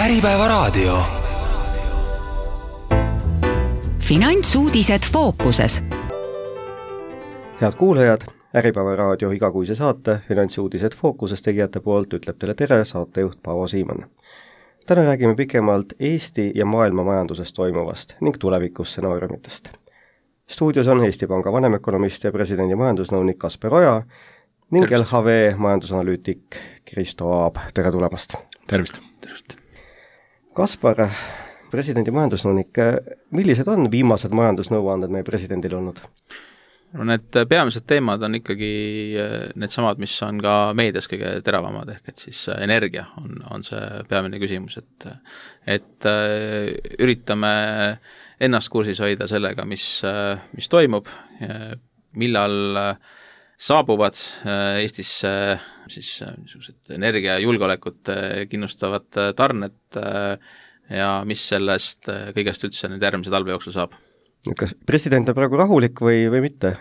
Äripäevaraadio. Finantsuudised fookuses. Head kuulajad, Äripäevaraadio igakuise saate Finantsuudised fookuses tegijate poolt ütleb teile tere saatejuht Paavo Siimann. Täna räägime pikemalt Eesti ja maailma majandusest toimuvast ning tulevikusstsenaariumitest. Stuudios on Eesti Panga vanemökonomist ja presidendi majandusnõunik Kasper Oja ning LHV majandusanalüütik Kristo Aab. Tere tulemast! Tervist! Kaspar, presidendi majandusnõunik, millised on viimased majandusnõuanded meie presidendil olnud? No need peamised teemad on ikkagi need samad, mis on ka meedias kõige teravamad, ehk et siis energia on see peamine küsimus, et üritame ennast kursis hoida sellega, mis toimub, millal saabuvad Eestisse siis niisugused energiajulgeolekut kinnustavad tarned ja mis sellest kõigest üldse nüüd järgmise talve jooksul saab. Kas president on praegu rahulik või mitte?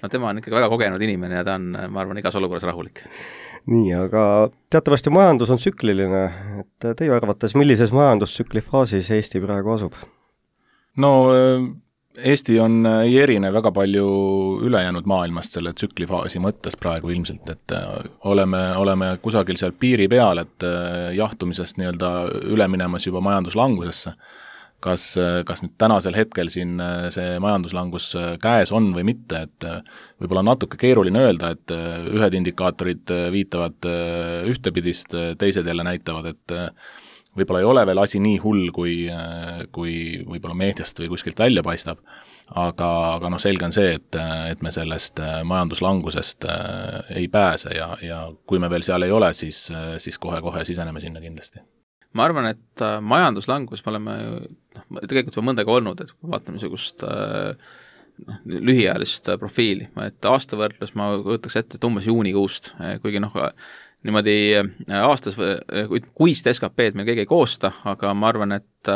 No tema on ikkagi väga kogenud inimene ja ta on, ma arvan, igas olukorras rahulik. Nii, aga teatavasti majandus on tsükliline, et teie arvates, millises majandustsükli faasis Eesti praegu asub? No Eesti ei erine väga palju ülejäänud maailmast selle tsüklifaasi mõttes praegu ilmselt, et oleme kusagil seal piiri peal, et jahtumisest nii-öelda üle minemas juba majanduslangusesse. Kas nüüd tänasel hetkel siin see majanduslangus käes on või mitte, et võib-olla natuke keeruline öelda, et ühed indikaatorid viitavad ühtepidist, teised jälle näitavad, et võib-olla ei ole veel asi nii hull, kui võib-olla meediast või kuskilt välja paistab, aga selge on see, et me sellest majanduslangusest ei pääse ja kui me veel seal ei ole, siis kohe-kohe siseneme sinna kindlasti. Ma arvan, et majanduslangus me oleme tegelikult juba mõndega olnud, et kui vaatame niisugust lühiajalist profiili, et aastavõrdlus ma võtaks ette, et umbes juunikuust, kuigi niimoodi aastas kuist SKP-d meil keegi ei koosta, aga ma arvan, et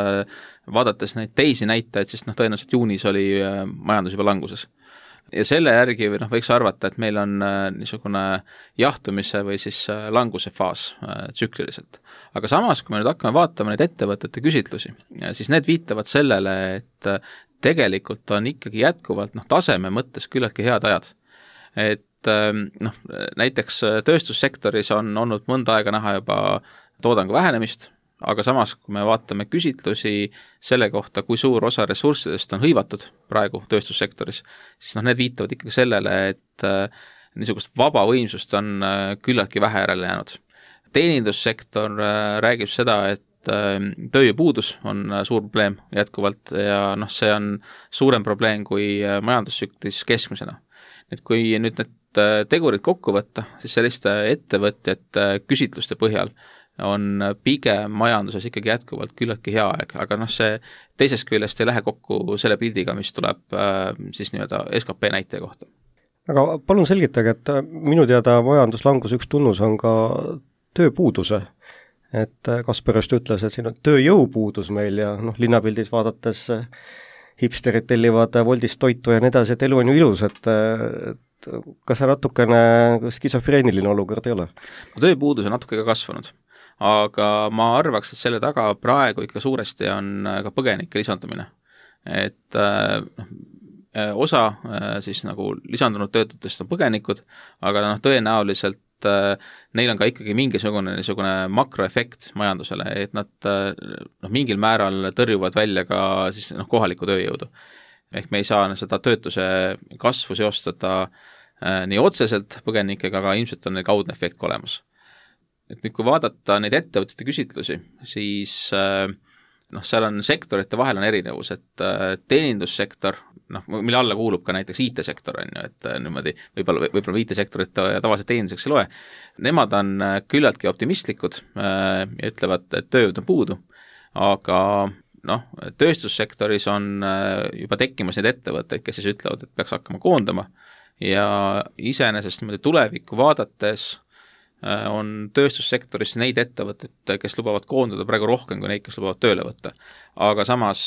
vaadates neid teisi näitajaid, siis tõenäoliselt juunis oli majandus juba languses. Ja selle järgi võiks arvata, et meil on niisugune jahtumise või siis languse faas tsükliliselt. Aga samas, kui me nüüd hakkame vaatama neid ettevõtete küsitlusi, siis need viitavad sellele, et tegelikult on ikkagi jätkuvalt taseme mõttes küllaltki head ajad. Et näiteks tööstussektoris on olnud mõnda aega näha juba toodangu vähenemist, aga samas, kui me vaatame küsitlusi selle kohta, kui suur osa ressurssidest on hõivatud praegu tööstussektoris, siis need viitavad ikkagi sellele, et niisugust vaba võimsust on küllaltki vähe järele jäänud. Teenindussektor räägib seda, et tööjõupuudus on suur probleem jätkuvalt ja see on suurem probleem kui majandustsüklis keskmisena. Et kui nüüd need tegurid kokku võtta, siis selliste ettevõtjate küsitluste põhjal on pigem majanduses ikkagi jätkuvalt küllaltki hea aeg, aga see teisest küljest ei lähe kokku selle pildiga, mis tuleb siis nii-öelda SKP näitaja kohta. Aga palun selgitage, et minu teada majanduslangus üks tunnus on ka tööpuuduse. Et Kasper just ütles, et siin on tööjõupuudus meil ja linnapildis vaadates hipsterid tellivad Woldist toitu ja nii edasi, et elu on ju ilus, et kas see natukene skisofreeniline olukord ei ole? Tööpuudus on natuke ka kasvanud, aga ma arvaks, et selle taga praegu ikka suuresti on ka põgenike lisandumine. Et osa siis lisandunud töötutest on põgenikud, aga tõenäoliselt neil on ka ikkagi mingisugune makroefekt majandusele, et nad mingil määral tõrjuvad välja ka siis kohalikku tööjõudu. Ehk me ei saa seda töötuse kasvu seostada nii otseselt põgenikega, aga ilmselt on neil kaudne efekt olemas. Et nüüd, kui vaadata neid ettevõtete küsitlusi, siis seal on sektorite vahel on erinevus, et teenindussektor, mille alla kuulub ka näiteks IT-sektor, et niimoodi võib-olla IT-sektorit tavaliselt teeninduseks ei loe, nemad on küllaltki optimistlikud ja ütlevad, et tööjõud on puudu, aga tööstussektoris on juba tekkimas neid ettevõtteid, kes siis ütlevad, et peaks hakkama koondama ja iseenesest niimoodi tulevikku vaadates on tööstussektoris neid ettevõtteid, kes lubavad koondada praegu rohkem kui neid, kes lubavad tööle võtta. Aga samas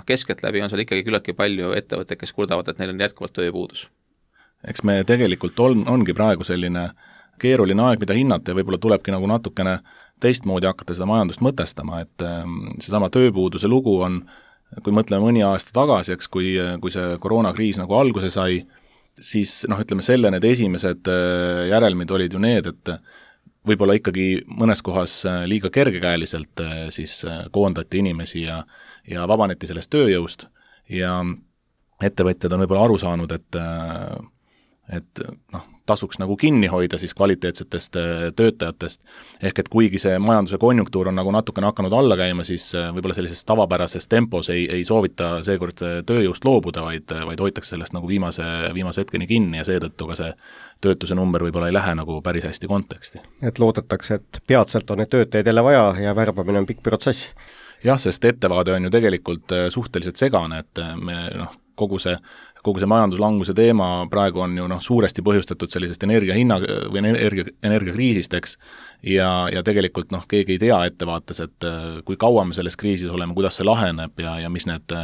keskeltläbi on seal ikkagi küllaltki palju ettevõtteid, kes kurdavad, et neil on jätkuvalt tööjõupuudus. Eks me tegelikult ongi praegu selline keeruline aeg, mida hinnata ja võib-olla tulebki nagu natukene teistmoodi hakata seda majandust mõtestama, et seesama tööpuuduse lugu on, kui mõtleme mõni aasta tagasi, eks, kui see koroonakriis nagu alguse sai, siis ütleme selle need esimesed järelmid olid ju need, et võib-olla ikkagi mõnes kohas liiga kergekäeliselt siis koondati inimesi ja vabaneti sellest tööjõust ja ettevõtjad on võib-olla aru saanud, et tasuks nagu kinni hoida siis kvaliteetsetest töötajatest, ehk et kuigi see majanduse konjunktuur on nagu natukene hakanud alla käima, siis võib-olla sellises tavapärases tempos ei soovita seekord tööjõust loobuda, vaid hoitakse sellest nagu viimase hetkeni kinni ja seetõttu ka see töötuse number võib-olla ei lähe nagu päris hästi konteksti. Et loodetakse, et peatselt on need töötajaid jälle vaja ja värbamine on pikk protsess. Jah, sest ettevaade on ju tegelikult suhteliselt segane, et me kogu see majanduslanguse teema praegu on ju suuresti põhjustatud sellisest energiahinna või energiakriisist, eks, ja tegelikult keegi ei tea ettevaates, et kui kaua me selles kriisis oleme, kuidas see laheneb ja mis need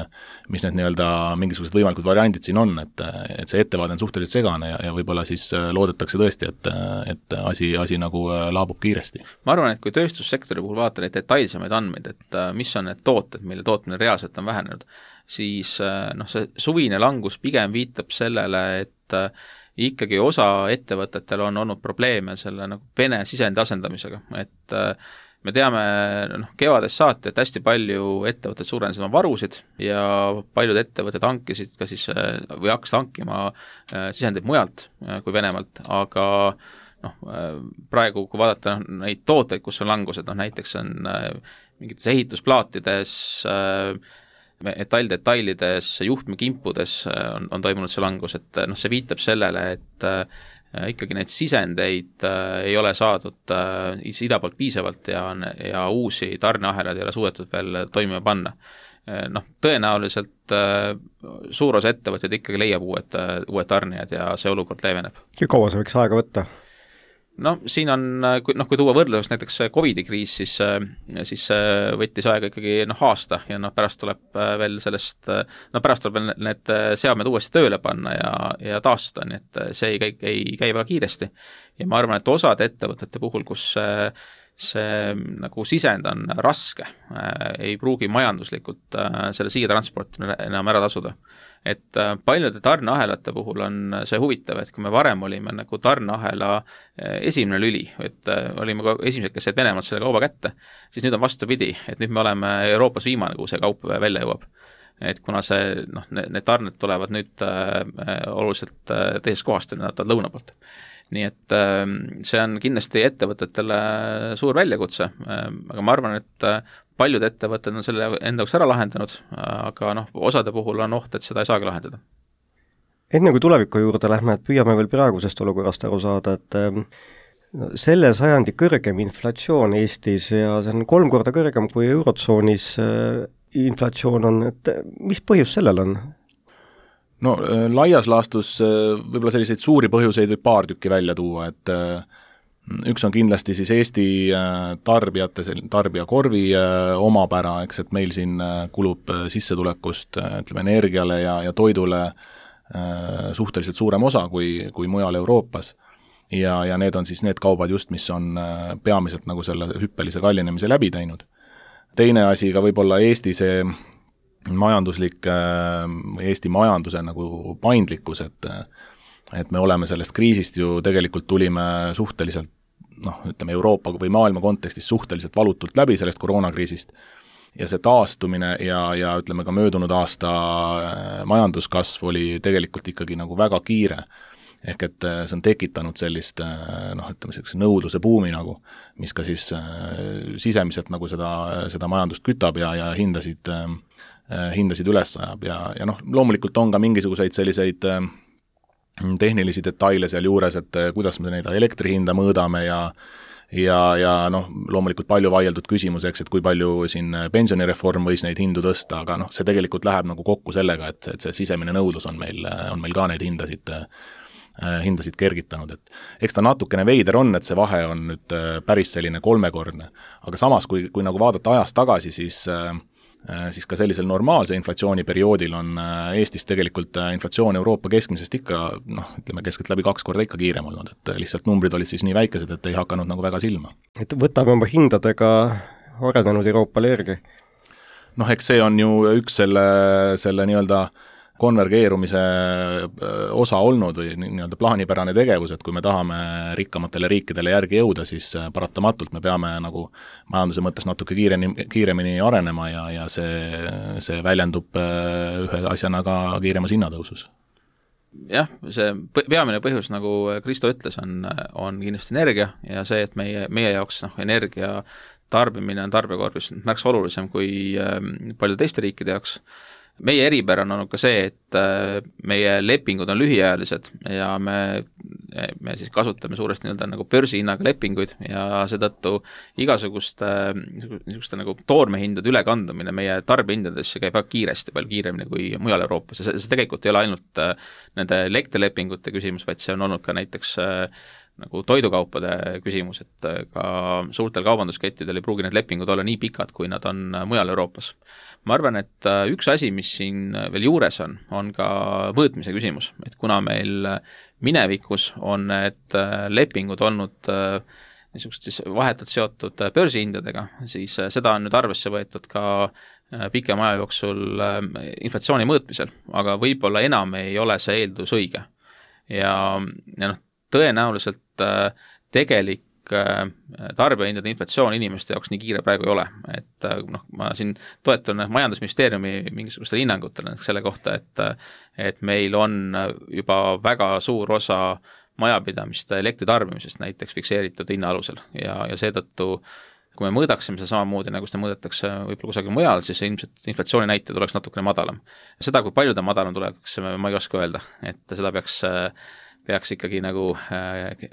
nii-öelda mingisugused võimalikud variandid siin on, et see ettevaade on suhteliselt segane ja võib-olla siis loodetakse tõesti, et asi nagu laabub kiiresti. Ma arvan, et kui tööstussektori puhul vaata neid detailsemaid andmeid, et mis on need tooted, mille tootmine reaalselt on vähenenud, siis see suvine langus pigem viitab sellele, et ikkagi osa ettevõtetel on olnud probleeme selle nagu Vene sisendi asendamisega, et me teame kevadest saati, et hästi palju ettevõtted suurendasid oma varusid ja paljud ettevõtted hankisid ka siis või hakkasid hankima sisendeid mujalt kui Venemaalt, aga praegu kui vaadata neid tooteid, kus on langused, näiteks on mingites ehitusplaatides, metalldetailides, juhtmekimpudes on toimunud see langus, et see viitab sellele, et ikkagi neid sisendeid ei ole saadud ida poolt piisavalt ja uusi tarneahelaid ei ole suudetud veel toimima panna. Tõenäoliselt suur osa ettevõtted ikkagi leiab uued tarnijad ja see olukord leeveneb. Ja kaua see võiks aega võtta? Siin on, kui tuua võrdluseks näiteks COVID-i kriis, siis võttis aega ikkagi aasta ja pärast tuleb veel sellest, pärast tuleb veel need seadmed uuesti tööle panna ja taastuda, nii et see ei käi väga kiiresti. Ja ma arvan, et osade ettevõtete puhul, kus see nagu sisend on raske, ei pruugi majanduslikult selle siiatransportimine enam ära tasuda. Et paljude tarneahelate puhul on see huvitav, et kui me varem olime nagu tarneahela esimene lüli, et olime ka esimesed, kes said Venemaalt selle kauba kätte, siis nüüd on vastupidi, et nüüd me oleme Euroopas viimane, kuhu see kaup välja jõuab. Et kuna see, need tarned tulevad nüüd oluliselt teisest kohast, nad on lõuna poolt. Nii et see on kindlasti ettevõtetele suur väljakutse, aga ma arvan, et paljud ettevõtted on selle enda jaoks ära lahendanud, aga osade puhul on oht, et seda ei saagi lahendada. Enne kui tuleviku juurde lähme, et püüame veel praegusest olukorrast aru saada, et selle sajandi kõrgem inflatsioon Eestis ja see on 3 korda kõrgem kui Eurotsoonis inflatsioon on, et mis põhjus sellel on? Laias laastus võib-olla selliseid suuri põhjuseid võib paar tükki välja tuua, et üks on kindlasti siis Eesti tarbijakorvi omapära, eks, et meil siin kulub sissetulekust, ütleme, energiale ja toidule suhteliselt suurem osa kui mujal Euroopas. Ja need on siis need kaubad just, mis on peamiselt nagu selle hüppelise kallinemise läbi teinud. Teine asi ka võib-olla Eesti see majanduslik, Eesti majanduse nagu paindlikkus, et me oleme sellest kriisist ju tegelikult tulime suhteliselt, ütleme Euroopa või maailma kontekstis suhteliselt valutult läbi sellest koroonakriisist ja see taastumine ja ütleme ka möödunud aasta majanduskasv oli tegelikult ikkagi nagu väga kiire. Ehk et see on tekitanud sellist, ütleme sellise nõudluse buumi nagu, mis ka siis sisemiselt nagu seda majandust kütab ja hindasid üles ajab ja loomulikult on ka mingisuguseid selliseid tehnilisi detaile seal juures, et kuidas me neid elektri hinda mõõdame ja loomulikult palju vaieldud küsimus, eks, et kui palju siin pensionireform võis neid hindu tõsta, aga see tegelikult läheb nagu kokku sellega, et see sisemine nõudlus on meil ka neid hindasid kergitanud, et eks ta natukene veider on, et see vahe on nüüd päris selline 3-kordne, aga samas, kui nagu vaadata ajas tagasi, siis siis ka sellisel normaalse inflatsiooniperioodil on Eestis tegelikult inflatsioon Euroopa keskmisest ikka, ütleme keskeltläbi 2 korda ikka kiirem olnud, et lihtsalt numbrid olid siis nii väikesed, et ei hakanud nagu väga silma. Et võtame oma hindadega arenenud Euroopale järgi? Eks see on ju üks selle nii-öelda konvergeerumise osa olnud või nii-öelda plaanipärane tegevus, et kui me tahame rikkamatele riikidele järgi jõuda, siis paratamatult me peame nagu majanduse mõttes natuke kiiremini arenema ja see väljendub ühe asjana ka kiiremas hinnatõusus. Jah, see peamine põhjus, nagu Kristo ütles, on kindlasti energia ja see, et meie jaoks energia tarbimine on tarbekorvis märksa olulisem kui paljude teiste riikide jaoks. Meie eripära on olnud ka see, et meie lepingud on lühiajalised ja me siis kasutame suuresti nagu börsihinnaga lepinguid ja seetõttu igasuguste nagu toormehindade ülekandumine meie tarbehindadesse käib väga kiiresti, palju kiiremini kui mujal Euroopas ja see tegelikult ei ole ainult nende elektrilepingute küsimus, vaid see on olnud ka näiteks nagu toidukaupade küsimus, et ka suurtel kaubanduskettidel ei pruugi need lepingud olla nii pikad, kui nad on mujal Euroopas. Ma arvan, et üks asi, mis siin veel juures on ka mõõtmise küsimus, et kuna meil minevikus on need lepingud olnud niisugused siis vahetult seotud börsihindadega, siis seda on nüüd arvesse võetud ka pikema aja jooksul inflatsiooni mõõtmisel, aga võib-olla enam ei ole see eeldus õige. Ja tõenäoliselt tegelik tarbijahindade inflatsioon inimeste jaoks nii kiire praegu ei ole, et ma siin toetun majandusministeeriumi mingisugustele hinnangutele selle kohta, et meil on juba väga suur osa majapidamiste elektritarbimisest näiteks fikseeritud hinna alusel ja seetõttu kui me mõõdaksime seda samamoodi, nagu seda mõõdetakse võib-olla kusagil mujal, siis ilmselt inflatsiooni näitajad oleks natukene madalam. Seda, kui palju ta madalam tuleks, ma ei oska öelda, et seda peaks ikkagi nagu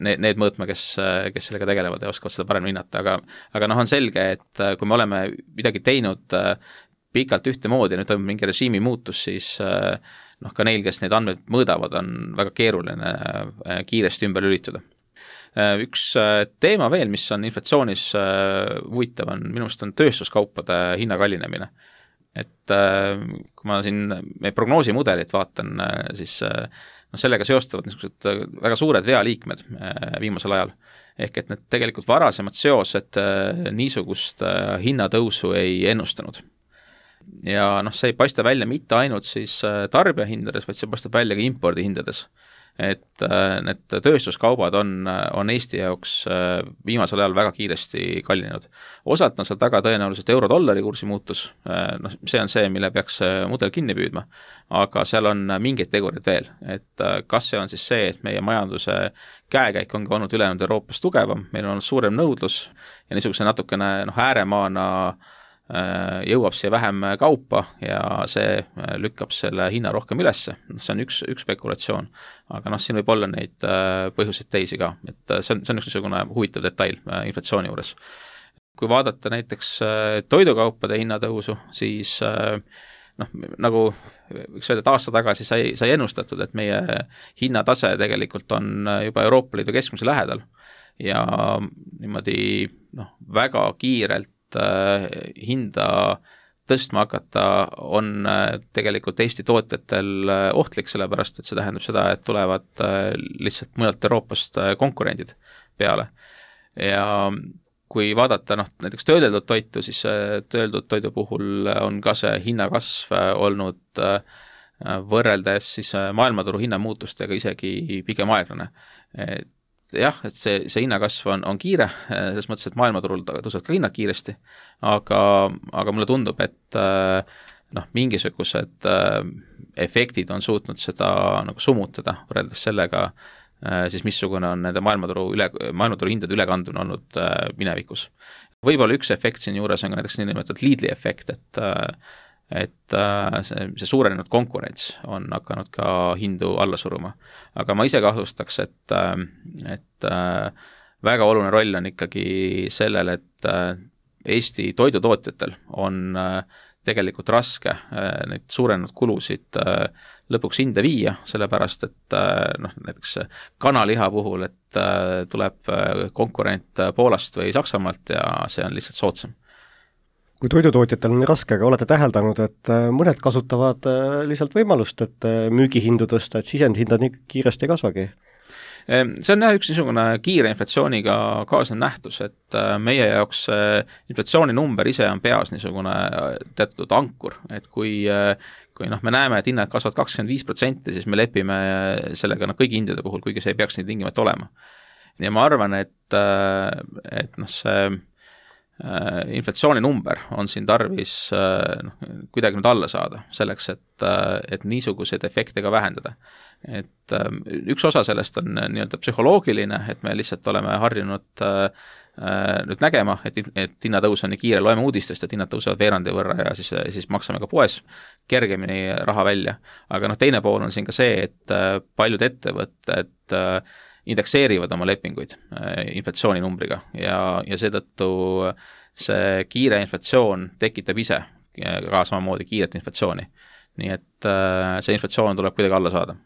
need mõõtma, kes sellega tegelevad ja oskavad seda paremini hinnata, aga on selge, et kui me oleme midagi teinud pikalt ühtemoodi ja nüüd toimub mingi režiimi muutus, siis ka neil, kes neid andmeid mõõdavad, on väga keeruline kiiresti ümber lülituda. Üks teema veel, mis on inflatsioonis huvitav, on minu arust on tööstuskaupade hinna kallinemine. Et kui ma siin meie prognoosimudelit vaatan, siis sellega seostavad niisugused väga suured vealiikmed viimasel ajal. Ehk et need tegelikult varasemad seosed niisugust hinnatõusu ei ennustanud. Ja see ei paista välja mitte ainult siis tarbijahindades, vaid see paistab välja ka impordihindades. Et need tööstuskaubad on Eesti jaoks viimasel ajal väga kiiresti kallinenud. Osalt on seal taga tõenäoliselt euro-dollari kursi muutus, see on see, mille peaks mudel kinni püüdma, aga seal on mingeid tegurid veel, et kas see on siis see, et meie majanduse käekäik ongi olnud ülejäänud Euroopas tugevam, meil on olnud suurem nõudlus ja niisuguse natukene ääremaana jõuab siia vähem kaupa ja see lükkab selle hinna rohkem ülesse. See on üks spekulatsioon, aga siin võib olla neid põhjuseid teisi ka, et see on üks niisugune huvitav detail inflatsiooni juures. Kui vaadata näiteks toidukaupade hinnatõusu, siis nagu võiks öelda, et aasta tagasi sai ennustatud, et meie hinnatase tegelikult on juba Euroopa Liidu keskmise lähedal ja niimoodi väga kiirelt hinda tõstma hakata on tegelikult Eesti tootjatel ohtlik, sellepärast et see tähendab seda, et tulevad lihtsalt mujalt Euroopast konkurendid peale. Ja kui vaadata näiteks töödeldud toitu, siis töödeldud toidu puhul on ka see hinnakasv olnud võrreldes siis maailmaturu hinnamuutustega isegi pigem aeglane. Jah, et see hinnakasv on kiire, selles mõttes, et maailmaturul tõusevad ka hinnad kiiresti, aga mulle tundub, et mingisugused efektid on suutnud seda nagu summutada võrreldes sellega, siis missugune on nende maailmaturu hindade ülekandumine olnud minevikus. Võib-olla üks efekt siin juures on ka näiteks niinimetatud Lidli efekt, et see suurenenud konkurents on hakanud ka hindu alla suruma. Aga ma ise kahtlustaks, et väga oluline roll on ikkagi sellel, et Eesti toidutootjatel on tegelikult raske neid suurenenud kulusid lõpuks hinde viia, sellepärast, et näiteks kanaliha puhul, et tuleb konkurent Poolast või Saksamaalt ja see on lihtsalt soodsam. kui toidutootjatel on raske, aga olete täheldanud, et mõned kasutavad lihtsalt võimalust, et müügihindu tõsta, et sisendhinnad nii kiiresti ei kasvagi? See on üks niisugune kiire inflatsiooniga kaasnev nähtus, et meie jaoks inflatsiooninumber ise on peas niisugune teatud ankur, et kui me näeme, et hinnad kasvavad 25%, siis me lepime sellega kõigi hindade puhul, kuigi see ei peaks nii tingimata olema. Ja ma arvan, et see inflatsiooninumber on siin tarvis kuidagi nüüd alla saada, selleks, et niisuguseid efekte ka vähendada. Et üks osa sellest on nii-öelda psühholoogiline, et me lihtsalt oleme harjunud nüüd nägema, et hinnatõus on nii kiire, loeme uudistest, et hinnad tõusevad veerandi võrra ja siis maksame ka poes kergemini raha välja. Aga teine pool on siin ka see, et paljud ettevõtted indekseerivad oma lepinguid inflatsiooninumbriga ja seetõttu see kiire inflatsioon tekitab ise ka samamoodi kiiret inflatsiooni. Nii et see inflatsioon tuleb kuidagi alla saada.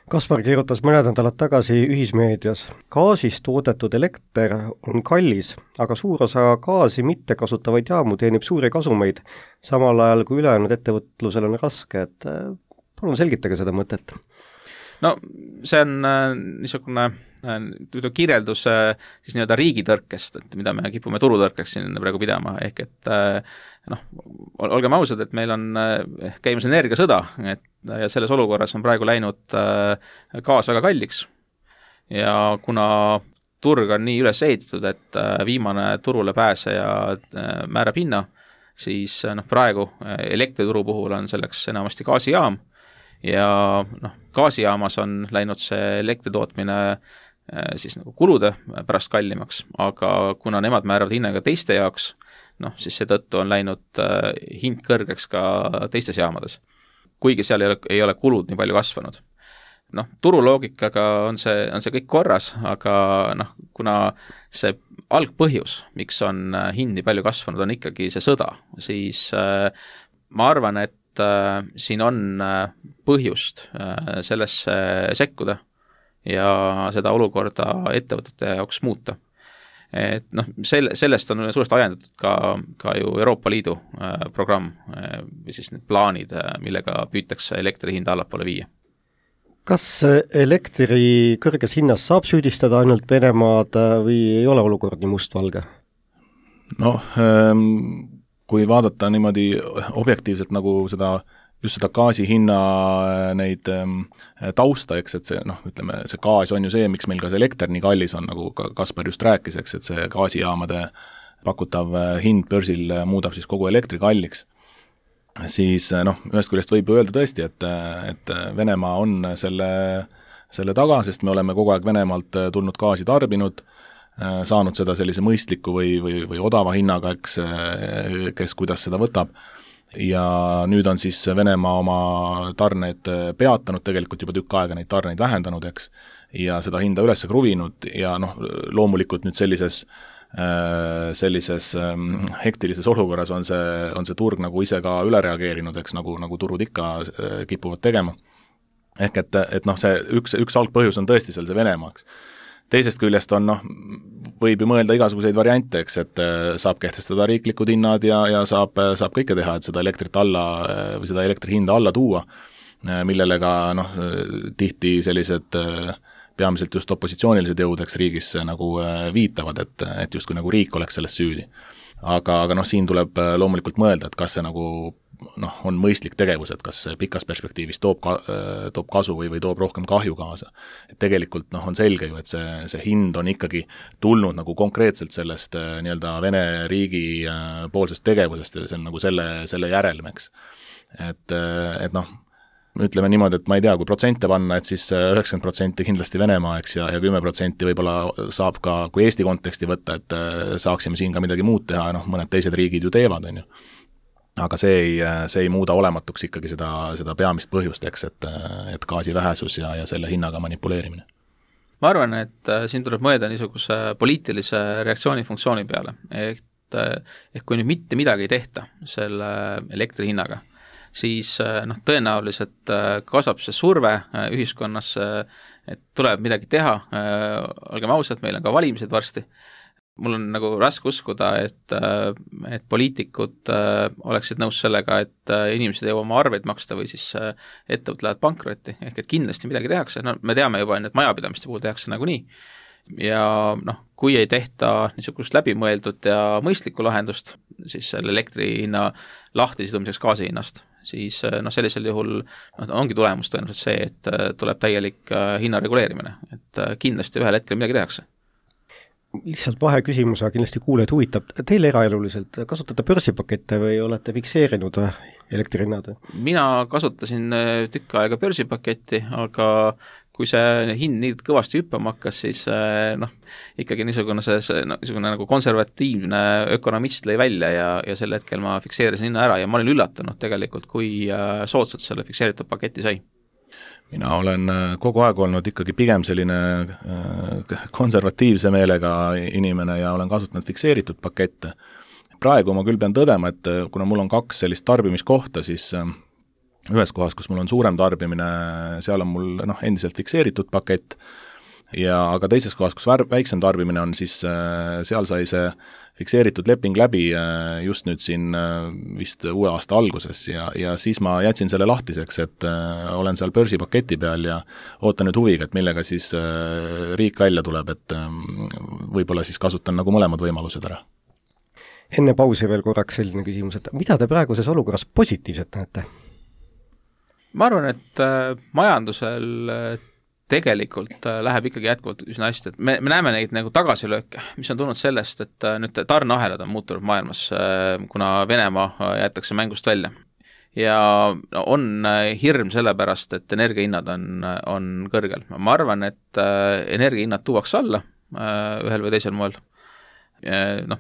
Kaspar kirjutas mõned nädalad tagasi ühismeedias. Gaasist toodetud elekter on kallis, aga suur osa gaasi mitte kasutavaid jaamu teenib suuri kasumeid, samal ajal kui ülejäänud ettevõtlusel on raske, et palun selgitage seda mõtet. No see on niisugune kirjeldus siis nii-öelda riigitõrkest, et mida me kipume turutõrkeks siin praegu pidama, ehk et olgem ausad, et meil on käimas energiasõda, ja selles olukorras on praegu läinud gaas väga kalliks ja kuna turg on nii üles ehitatud, et viimane turule pääseja määrab hinna, siis praegu elektrituru puhul on selleks enamasti gaasijaam ja gaasijaamas on läinud see elektritootmine siis kulude pärast kallimaks, aga kuna nemad määravad hinnaga teiste jaoks, siis seetõttu on läinud hind kõrgeks ka teistes jaamades. Kuigi seal ei ole kulud nii palju kasvanud. Turuloogikaga on see kõik korras, aga kuna see algpõhjus, miks on hind nii palju kasvanud, on ikkagi see sõda, siis ma arvan, et siin on põhjust sellesse sekkuda ja seda olukorda ettevõtete jaoks muuta. Et sellest on suuresti ajendatud ka ju Euroopa Liidu programm või siis need plaanid, millega püütakse elektri hinda allapoole viia. Kas elektri kõrges hinnas saab süüdistada ainult Venemaad või ei ole olukord nii mustvalge? Kui vaadata niimoodi objektiivselt nagu just seda gaasi hinna neid tausta, eks, et see, ütleme, see gaas on ju see, miks meil ka see elekter nii kallis on, nagu Kaspar just rääkis, eks, et see gaasijaamade pakutav hind börsil muudab siis kogu elektri kalliks. Siis ühest küljest võib öelda tõesti, et Venemaa on selle taga, sest me oleme kogu aeg Venemaalt tulnud gaasi tarbinud, saanud seda sellise mõistliku või odava hinnaga, eks, kes kuidas seda võtab. Ja nüüd on siis Venemaa oma tarneid peatanud, tegelikult juba tükk aega neid tarneid vähendanud, eks, ja seda hinda üles kruvinud ja loomulikult nüüd sellises hektilises olukorras on see turg nagu ise ka üle reageerinud, eks, nagu turud ikka kipuvad tegema. Ehk et see üks algpõhjus on tõesti seal see Venemaaks. Teisest küljest on, võib ju mõelda igasuguseid variante, eks, et saab kehtestada riiklikud hinnad ja saab kõike teha, et seda elektrit alla või seda elektri hinda alla tuua, millele ka tihti sellised peamiselt just opositsioonilised jõud, eks, riigis nagu viitavad, et justkui nagu riik oleks selles süüdi. Aga siin tuleb loomulikult mõelda, et kas see nagu on mõistlik tegevus, et kas pikas perspektiivis toob kasu või toob rohkem kahju kaasa. Et tegelikult on selge ju, et see hind on ikkagi tulnud nagu konkreetselt sellest nii-öelda Vene riigi poolsest tegevusest ja see on nagu selle järelmeks. Et ütleme niimoodi, et ma ei tea, kui protsente panna, et siis 90% kindlasti Venemaa, eks, ja 10% võib-olla saab ka, kui Eesti konteksti võtta, et saaksime siin ka midagi muud teha, mõned teised riigid ju teevad, on ju. Aga see ei muuda olematuks ikkagi seda peamist põhjust, eks, et gaasi vähesus ja selle hinnaga manipuleerimine. Ma arvan, et siin tuleb mõelda niisuguse poliitilise reaktsioonifunktsiooni peale, ehk kui nüüd mitte midagi ei tehta selle elektri hinnaga, siis tõenäoliselt kasvab see surve ühiskonnas, et tuleb midagi teha, olgem ausad, meil on ka valimised varsti, mul on nagu raske uskuda, et poliitikud oleksid nõus sellega, et inimesed ei jõua oma arveid maksta või siis ettevõtted lähevad pankrotti, ehk et kindlasti midagi tehakse, no me teame juba, et majapidamiste puhul tehakse nagunii. Ja noh, kui ei tehta niisugust läbimõeldud ja mõistlikku lahendust, siis selle elektri hinna lahtisidumiseks gaasi hinnast, siis sellisel juhul ongi tulemus tõenäoliselt see, et tuleb täielik hinna reguleerimine, et kindlasti ühel hetkel midagi tehakse. Lihtsalt vaheküsimus, aga kindlasti kuulajad huvitab. Teil eraeluliselt kasutate börsipakette või olete fikseerinud elektrihinnad? Mina kasutasin tükk aega börsipaketti, aga kui see hind nii kõvasti hüppama hakkas, siis ikkagi niisugune nagu konservatiivne ökonomist lõi välja ja sel hetkel ma fikseerisin hinna ära ja ma olin üllatunud tegelikult, kui soodsalt selle fikseeritud paketi sai. Mina olen kogu aeg olnud ikkagi pigem selline konservatiivse meelega inimene ja olen kasutanud fikseeritud pakette. Praegu ma küll pean tõdema, et kuna mul on 2 sellist tarbimiskohta, siis ühes kohas, kus mul on suurem tarbimine, seal on mul endiselt fikseeritud pakett, aga teises kohas, kus väiksem tarbimine on, siis seal sai see fikseeritud leping läbi just nüüd siin vist uue aasta alguses ja siis ma jätsin selle lahtiseks, et olen seal börsipaketi peal ja ootan nüüd huviga, et millega siis riik välja tuleb, et võib-olla siis kasutan nagu mõlemad võimalused ära. Enne pausi veel korraks selline küsimus, et mida te praeguses olukorras positiivset näete? Ma arvan, et majandusel tegelikult läheb ikkagi jätkuvalt üsna hästi, et me näeme neid nagu tagasilööke, mis on tulnud sellest, et nüüd tarneahelad on muutunud maailmas, kuna Venemaa jäetakse mängust välja. Ja on hirm sellepärast, et energiahinnad on kõrgel. Ma arvan, et energiahinnad tuuakse alla ühel või teisel moel.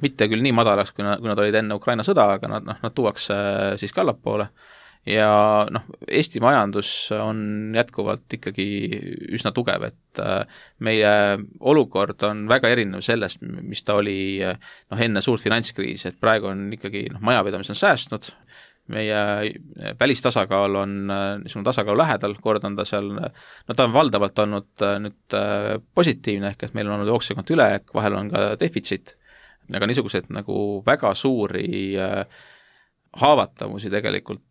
Mitte küll nii madalaks, kui nad olid enne Ukraina sõda, aga nad tuuakse siis ka allapoole. Ja Eesti majandus on jätkuvalt ikkagi üsna tugev, et meie olukord on väga erinev sellest, mis ta oli enne suurt finantskriisi, et praegu on ikkagi majapidamis on säästnud, meie välistasakaal on niisugune tasakaalu lähedal, kord on ta seal, ta on valdavalt olnud nüüd positiivne, ehk et meil on olnud jooksevkonto ülejääk, vahel on ka defitsiit, aga niisugused nagu väga suuri haavatavusi tegelikult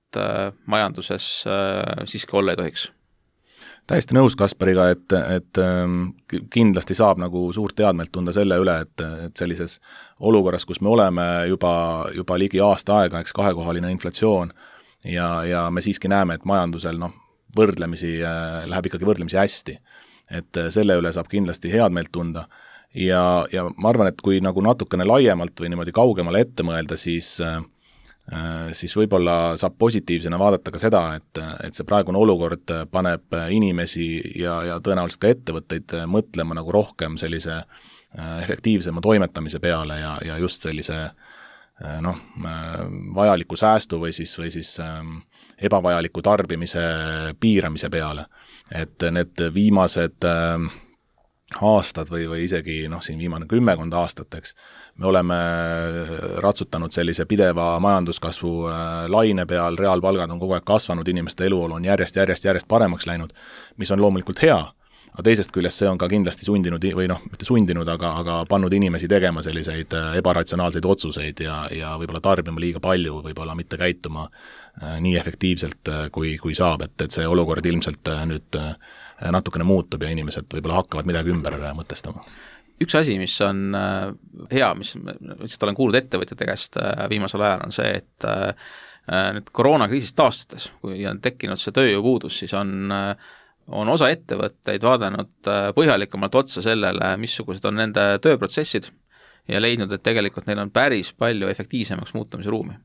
majanduses siiski olla ei tohiks. Täiesti nõus Kaspariga, et kindlasti saab nagu suurt teadmelt tunda selle üle, et sellises olukorras, kus me oleme juba ligi aasta aega, eks 2-kohaline inflatsioon ja me siiski näeme, et majandusel võrdlemisi läheb ikkagi võrdlemisi hästi. Et selle üle saab kindlasti head meelt tunda ja ma arvan, et kui nagu natukene laiemalt või niimoodi kaugemale ette mõelda, siis võib-olla saab positiivsena vaadata ka seda, et see praegune olukord paneb inimesi ja tõenäoliselt ka ettevõtteid mõtlema nagu rohkem sellise efektiivsema toimetamise peale ja just sellise vajaliku säästu või siis ebavajaliku tarbimise piiramise peale. Et need viimased aastad või isegi siin viimane 10 aastat, eks, me oleme ratsutanud sellise pideva majanduskasvu laine peal, reaalpalgad on kogu aeg kasvanud, inimeste eluolu on järjest paremaks läinud, mis on loomulikult hea, aga teisest küljest see on ka kindlasti sundinud või mitte sundinud, aga pannud inimesi tegema selliseid ebaratsionaalseid otsuseid ja võib-olla tarbima liiga palju, võib-olla mitte käituma nii efektiivselt, kui saab, et see olukord ilmselt nüüd natukene muutub ja inimesed võib-olla hakkavad midagi ümber mõtestama. Üks asi, mis on hea, mis olen kuulnud ettevõtjate käest viimasel ajal, on see, et nüüd koroonakriisist taastudes, kui on tekkinud see tööjõupuudus, siis on osa ettevõtteid vaadanud põhjalikumalt otsa sellele, missugused on nende tööprotsessid ja leidnud, et tegelikult neil on päris palju efektiivsemaks muutumise ruumi.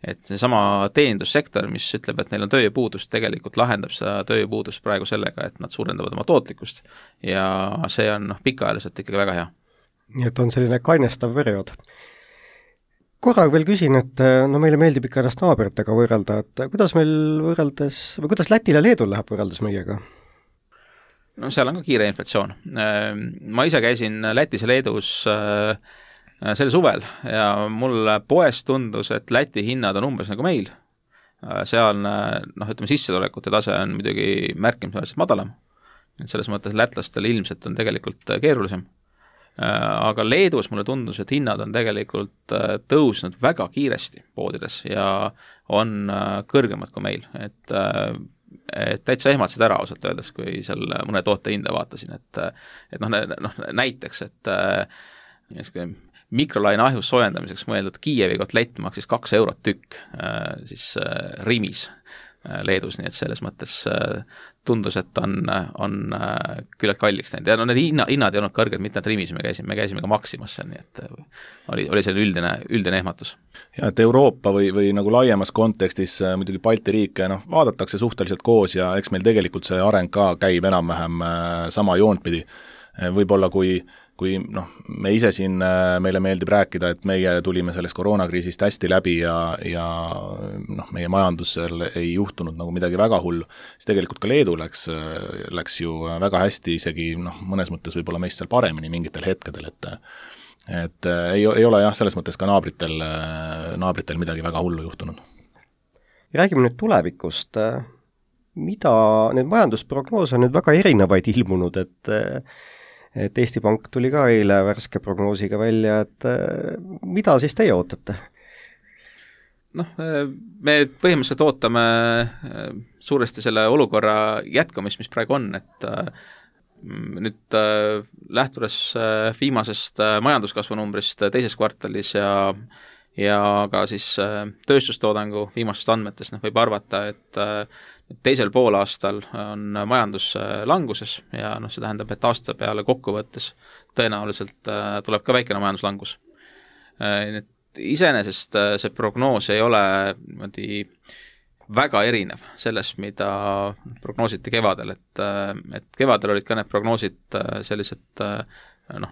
Et seesama teenindussektor, mis ütleb, et neil on tööjõupuudust, tegelikult lahendab seda tööjõupuudust praegu sellega, et nad suurendavad oma tootlikkust ja see on pikaajaliselt ikkagi väga hea. Nii et on selline kainestav periood. Korra veel küsin, et meile meeldib ikka ennast naabritega võrrelda, et kuidas meil võrreldes, või kuidas Lätil ja Leedul läheb võrreldes meiega? Seal on ka kiire inflatsioon. Ma ise käisin Lätis ja Leedus sel suvel ja mul poes tundus, et Läti hinnad on umbes nagu meil. Seal, sissetulekute tase on muidugi märkimisväärselt madalam. Selles mõttes lätlastel ilmselt on tegelikult keerulisem. aga Leedus mulle tundus, et hinnad on tegelikult tõusnud väga kiiresti poodides ja on kõrgemad kui meil, et täitsa ehmatasid ära ausalt öeldes, kui seal mõne toote hinda vaatasin, et näiteks, et mikrolaine ahjus soojendamiseks mõeldud Kiievi kotlett maksis 2 eurot tükk siis Rimis Leedus, nii et selles mõttes tundus, et on küllalt kalliks läinud ja need hinnad ei olnud kõrged, mitte nad Rimis, me käisime ka Maximas seal, nii et oli selline üldine ehmatus. Ja et Euroopa või nagu laiemas kontekstis muidugi Balti riike vaadatakse suhteliselt koos ja eks meil tegelikult see areng ka käib enam-vähem sama joont pidi. Võib-olla kui me ise siin, meile meeldib rääkida, et meie tulime sellest koroonakriisist hästi läbi ja meie majandusel ei juhtunud nagu midagi väga hullu, siis tegelikult ka Leedu läks ju väga hästi, isegi mõnes mõttes võib-olla meist seal paremini mingitel hetkedel, et ei ole jah, selles mõttes ka naabritel midagi väga hullu juhtunud. Räägime nüüd tulevikust. Mida need majandusprognoose on nüüd väga erinevaid ilmunud, et Eesti Pank tuli ka eile värske prognoosiga välja, et mida siis teie ootate? Me põhimõtteliselt ootame suuresti selle olukorra jätkamist, mis praegu on, et nüüd lähtudes viimasest majanduskasvu numbrist teises kvartalis ja ka siis tööstustoodangu viimastest andmetest võib arvata, et teisel poolaastal on majandus languses ja see tähendab, et aasta peale kokkuvõttes tõenäoliselt tuleb ka väikene majanduslangus. Iseenesest see prognoos ei ole väga erinev sellest, mida prognoositi kevadel, et kevadel olid ka need prognoosid sellised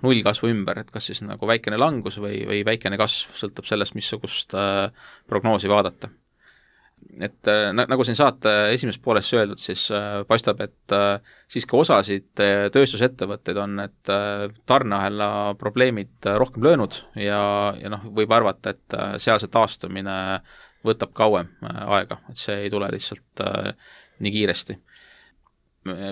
nullkasvu ümber, et kas siis nagu väikene langus või väikene kasv, sõltub sellest, missugust prognoosi vaadata. Et nagu siin saate esimeses pooles öeldud, siis paistab, et siiski osasid tööstusettevõtteid on need tarneahela probleemid rohkem löönud ja võib arvata, et sealse taastumine võtab kauem aega, et see ei tule lihtsalt nii kiiresti.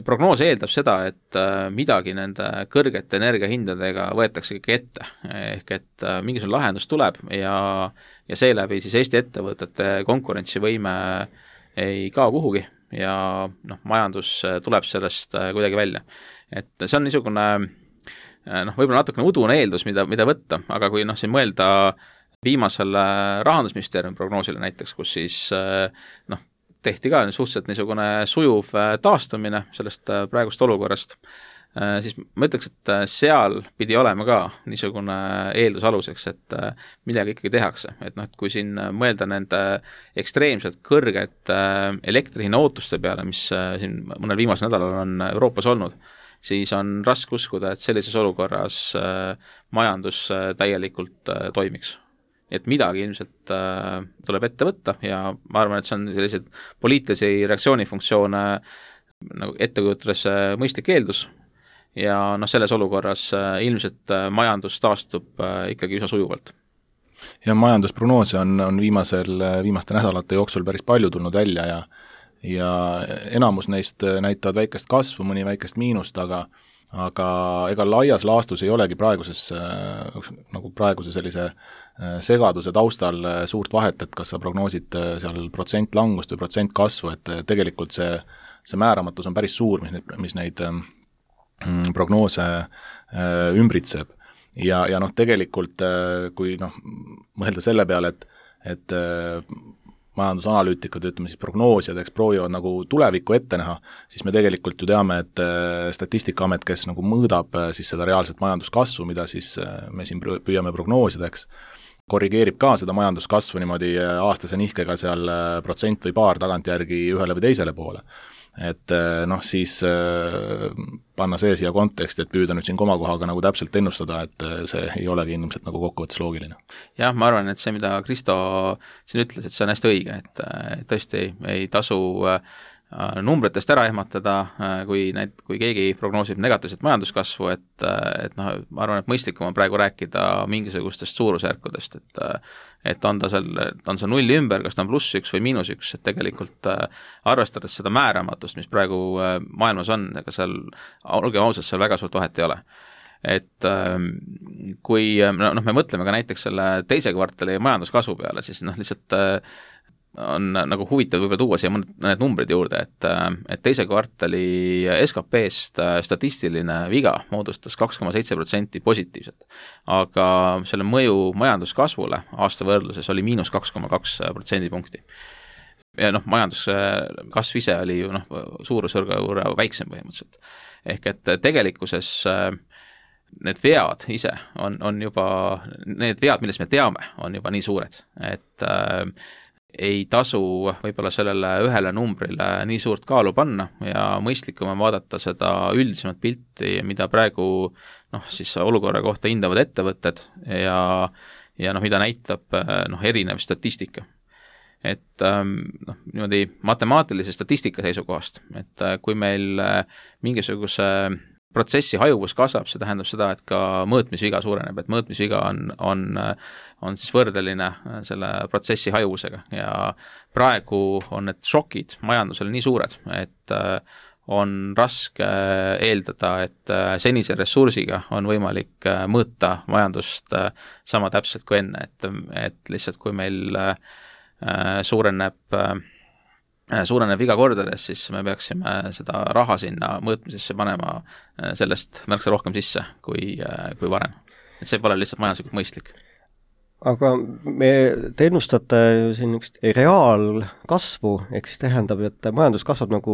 Prognoos eeldab seda, et midagi nende kõrgete energiahindadega võetakse kõik ette, ehk et mingisugune lahendus tuleb ja seeläbi siis Eesti ettevõtete konkurentsivõime ei kao kuhugi ja majandus tuleb sellest kuidagi välja. Et see on niisugune võib-olla natukene udune eeldus, mida võtta, aga kui siin mõelda viimasele Rahandusministeeriumi prognoosile näiteks, kus siis tehti ka suhteliselt niisugune sujuv taastumine sellest praegust olukorrast, siis ma ütleks, et seal pidi olema ka niisugune eeldus aluseks, et midagi ikkagi tehakse. Et kui siin mõelda nende ekstreemselt kõrged elektrihinna ootuste peale, mis siin mõnel viimasel nädalal on Euroopas olnud, siis on raske uskuda, et sellises olukorras majandus täielikult toimiks. Et midagi ilmselt tuleb ette võtta ja ma arvan, et see on sellised poliitilisi reaktsioonifunktsioone nagu ettekujutades mõistlik eeldus ja selles olukorras ilmselt majandus taastub ikkagi üsna sujuvalt. Ja majandusprognoose on viimaste nädalate jooksul päris palju tulnud välja ja enamus neist näitavad väikest kasvu, mõni väikest miinust, aga ega laias laastus ei olegi praeguse sellise segaduse taustal suurt vahet, et kas sa prognoosid seal protsent langust või protsent kasvu, et tegelikult see määramatus on päris suur, mis neid prognoose ümbritseb. Ja tegelikult, kui mõelda selle peale, et majandusanalüütikud, ütleme siis prognoosijad, proovivad nagu tulevikku ette näha, siis me tegelikult ju teame, et Statistikaamet, kes nagu mõõdab siis seda reaalset majanduskasvu, mida siis me siin püüame prognoosida, korrigeerib ka seda majanduskasvu niimoodi aastase nihkega seal protsent või paar tagantjärgi ühele või teisele poole. Et siis panna see siia konteksti, et püüda nüüd siin komakohaga nagu täpselt ennustada, et see ei olegi ilmselt nagu kokkuvõttes loogiline. Jah, ma arvan, et see, mida Kristo siin ütles, et see on hästi õige, et tõesti ei tasu numbritest ära ehmatada, kui keegi prognoosib negatiivset majanduskasvu, et ma arvan, et mõistlikum on praegu rääkida mingisugustest suurusjärkudest, et on ta seal nulli ümber, kas ta on +1 või -1, et tegelikult arvestades seda määramatust, mis praegu maailmas on, ega seal, olge ausad, seal väga suurt vahet ei ole. et kui me mõtleme ka näiteks selle teise kvartali majanduskasvu peale, siis lihtsalt on nagu huvitav võib-olla tuua siia mõned numbrid juurde, et teise kvartali SKP-st statistiline viga moodustas 2,7% positiivset, aga selle mõju majanduskasvule aasta võrdluses oli -2,2%. Ja majanduskasv ise oli ju suurusjärgu võrra väiksem põhimõtteliselt. Ehk et tegelikkuses need vead ise on juba, need vead, millest me teame, on juba nii suured, et ei tasu võib-olla sellele ühele numbrile nii suurt kaalu panna ja mõistlikum on vaadata seda üldisemat pilti, mida praegu siis olukorra kohta hindavad ettevõtted ja mida näitab erinev statistika. Et niimoodi matemaatilise statistika seisukohast, et kui meil mingisuguse protsessi hajuvus kasvab, see tähendab seda, et ka mõõtmisviga suureneb, et mõõtmisviga on siis võrdeline selle protsessi hajuvusega ja praegu on need šokid majandusele nii suured, et on raske eeldada, et senise ressursiga on võimalik mõõta majandust sama täpselt kui enne, et lihtsalt kui meil suureneb viga kordades, siis me peaksime seda raha sinna mõõtmisesse panema sellest märksa rohkem sisse kui varem. Et see pole lihtsalt majanduslikult mõistlik. Aga te ennustate siin üks reaalkasvu, ehk siis tähendab, et majandus kasvab nagu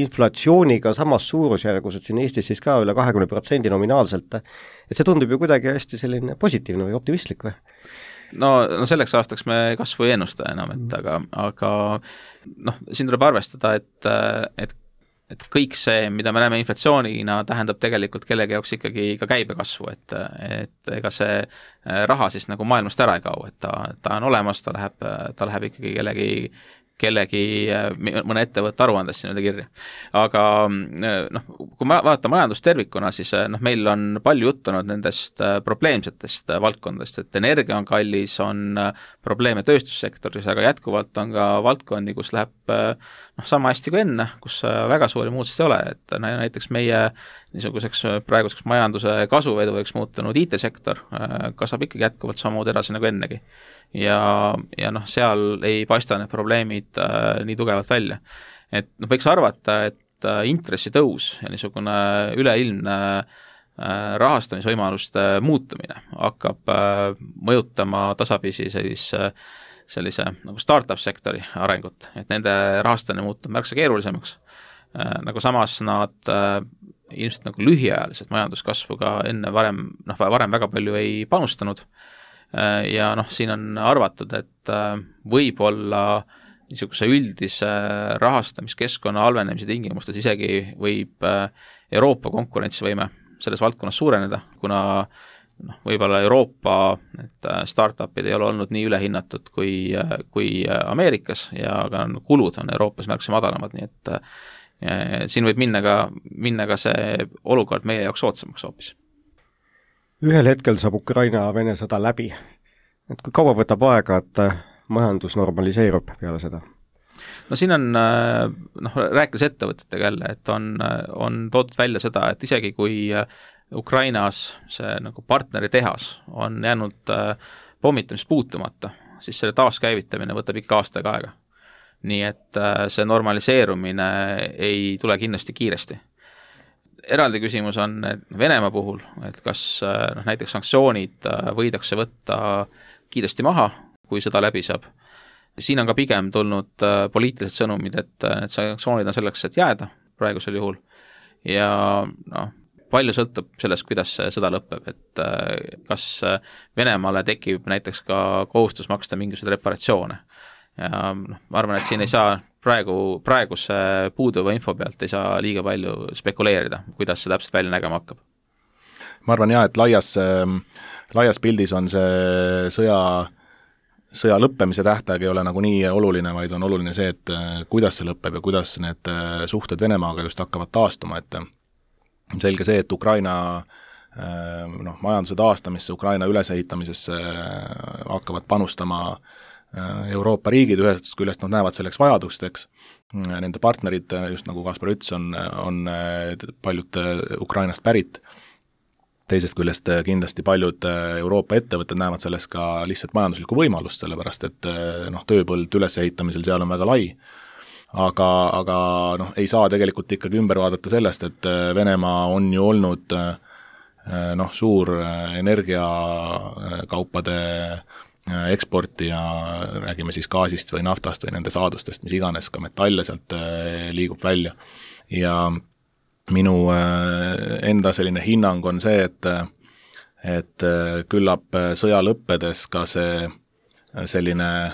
inflatsiooniga samas suurusjärgus, et siin Eestis siis ka üle 20% nominaalselt. Et see tundub ju kuidagi hästi selline positiivne või optimistlik või? No selleks aastaks me kasvu ei ennusta enam, aga siin tuleb arvestada, et kõik see, mida me näeme inflatsioonina, tähendab tegelikult kellegi jaoks ikkagi ka käibekasvu, et ega see raha siis nagu maailmast ära ei kau, et ta on olemas, ta läheb ikkagi mõne ettevõtte aruandesse nii-öelda kirja. Aga kui vaadata majandust tervikuna, siis meil on palju juttunud nendest probleemsetest valdkondadest, et energia on kallis, on probleeme tööstussektoris, aga jätkuvalt on ka valdkondi, kus läheb sama hästi kui enne, kus väga suuri muutusi ei ole, et näiteks meie niisuguseks praeguseks majanduse kasvuveduriks muutunud IT-sektor kasvab ikkagi jätkuvalt samamoodi edasi nagu ennegi. Ja seal ei paista need probleemid nii tugevalt välja. Et võiks arvata, et intressitõus ja niisugune üleilmne rahastamisvõimaluste muutumine hakkab mõjutama tasapisi sellise nagu startup-sektori arengut, et nende rahastamine muutub märksa keerulisemaks. Nagu samas nad ilmselt nagu lühiajaliselt majanduskasvu ka enne varem väga palju ei panustanud. Ja siin on arvatud, et võib-olla niisuguse üldise rahastamiskeskkonna halvenemise tingimustes isegi võib Euroopa konkurentsivõime selles valdkonnas suureneda, kuna võib-olla Euroopa startupid ei ole olnud nii ülehinnatud kui Ameerikas ja ka kulud on Euroopas märksa madalamad, nii et siin võib minna ka see olukord meie jaoks soodsamaks hoopis. Ühel hetkel saab Ukraina-Vene sõda läbi. Et kui kaua võtab aega, et majandus normaliseerub peale seda? No siin on, rääkides ettevõtetega jälle, et on toodud välja seda, et isegi kui Ukrainas see nagu partneri tehas on jäänud pommitamist puutumata, siis selle taaskäivitamine võtab ikka aastaga aega. Nii et see normaliseerumine ei tule kindlasti kiiresti. Eraldi küsimus on Venemaa puhul, et kas näiteks sanktsioonid võidakse võtta kiiresti maha, kui sõda läbi saab. Siin on ka pigem tulnud poliitilised sõnumid, et need sanktsioonid on selleks, et jääda praegusel juhul ja palju sõltub sellest, kuidas see sõda lõpeb, et kas Venemaale tekib näiteks ka kohustus maksta mingisuguseid reparatsioone. Ja ma arvan, et siin ei saa praeguse puuduva info pealt ei saa liiga palju spekuleerida, kuidas see täpselt välja nägema hakkab. Ma arvan et laias pildis on see sõja lõppemise tähtaeg ei ole nagu nii oluline, vaid on oluline see, et kuidas see lõpeb ja kuidas need suhted Venemaaga just hakkavad taastuma, et selge see, et Ukraina majanduse taastamisse, Ukraina ülesehitamisesse hakkavad panustama Euroopa riigid, ühest küljest nad näevad selleks vajadust, eks. Nende partnerid, just nagu Kaspar ütles, on paljud Ukrainast pärit. teisest küljest kindlasti paljud Euroopa ettevõtted näevad selles ka lihtsalt majanduslikku võimalust, sellepärast et tööpõld ülesehitamisel seal on väga lai, aga ei saa tegelikult ikkagi ümber vaadata sellest, et Venemaa on ju olnud suur energiakaupade eksporti ja räägime siis gaasist või naftast või nende saadustest, mis iganes, ka metalle sealt liigub välja. Ja minu enda selline hinnang on see, et küllap sõja lõppedes ka see selline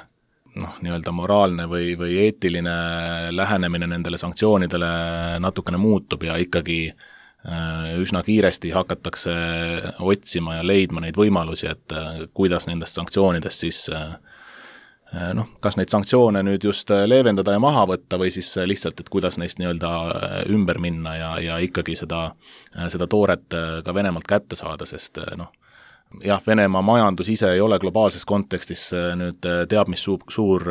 nii-öelda moraalne või eetiline lähenemine nendele sanktsioonidele natukene muutub ja ikkagi üsna kiiresti hakatakse otsima ja leidma neid võimalusi, et kuidas nendest sanktsioonidest siis kas neid sanktsioone nüüd just leevendada ja maha võtta või siis lihtsalt, et kuidas neist nii-öelda ümber minna ja ikkagi seda tooret ka Venemaalt kätte saada, sest jah, Venemaa majandus ise ei ole globaalses kontekstis nüüd teab mis suur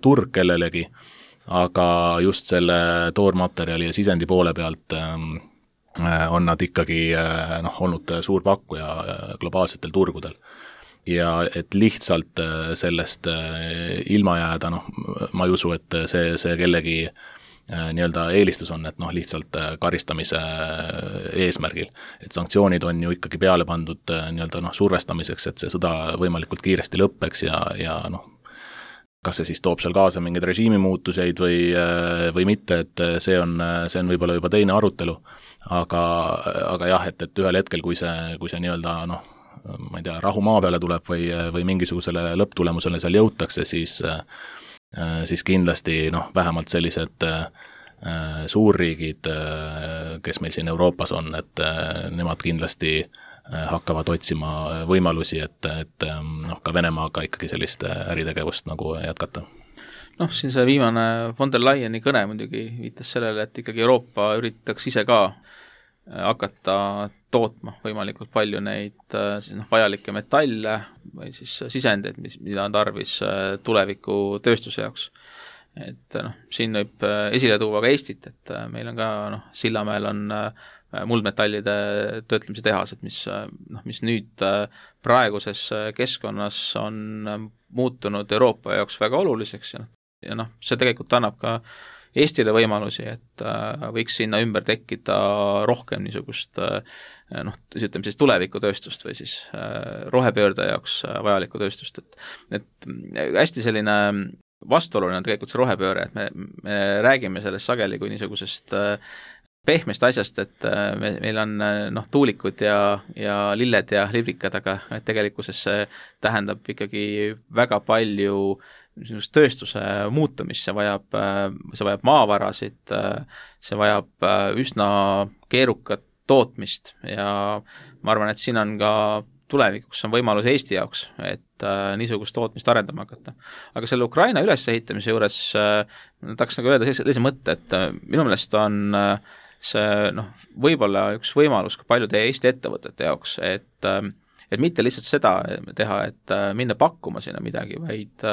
turg kellelegi, aga just selle toormaterjali ja sisendi poole pealt on nad ikkagi olnud suur pakkuja globaalsetel turgudel. Ja et lihtsalt sellest ilma jääda, ma ei usu, et see kellegi nii-öelda eelistus on, et lihtsalt karistamise eesmärgil. Et sanktsioonid on ju ikkagi peale pandud nii-öelda survestamiseks, et see sõda võimalikult kiiresti lõppeks ja kas see siis toob seal kaasa mingeid režiimimuutuseid või mitte, et see on võib-olla juba teine arutelu, aga jah, et ühel hetkel, kui see nii-öelda ma ei tea, rahu maa peale tuleb või mingisugusele lõpptulemusele seal jõutakse, siis kindlasti vähemalt sellised suurriigid, kes meil siin Euroopas on, et nemad kindlasti hakkavad otsima võimalusi, et ka Venemaaga ikkagi sellist äritegevust nagu jätkata. Siin see viimane von der Leyeni kõne muidugi viitas sellele, et ikkagi Euroopa üritaks ise ka hakata tootma võimalikult palju neid vajalikke metalle või siis sisendeid, mida on tarvis tuleviku tööstuse jaoks. Et siin võib esile tuua ka Eestit, et meil on ka Sillamäel on muldmetallide töötlemise tehased, mis nüüd praeguses keskkonnas on muutunud Euroopa jaoks väga oluliseks ja see tegelikult annab ka Eestile võimalusi, et võiks sinna ümber tekkida rohkem niisugust ütleme siis tulevikutööstust või siis rohepöörde jaoks vajalikku tööstust, et hästi selline vastuoluline on tegelikult see rohepööre, et me räägime sellest sageli kui niisugusest pehmest asjast, et meil on tuulikud ja lilled ja librikad, aga tegelikkuses see tähendab ikkagi väga palju tööstuse muutumist, see vajab maavarasid, see vajab üsna keerukat tootmist ja ma arvan, et siin on ka tulevikuks on võimalus Eesti jaoks, et niisugust tootmist arendama hakata. Aga selle Ukraina ülesehitamise juures tahaks nagu öelda sellise mõtte, et minu meelest on see võib-olla üks võimalus ka paljude Eesti ettevõtete jaoks, et mitte lihtsalt seda teha, et minna pakkuma sinna midagi, vaid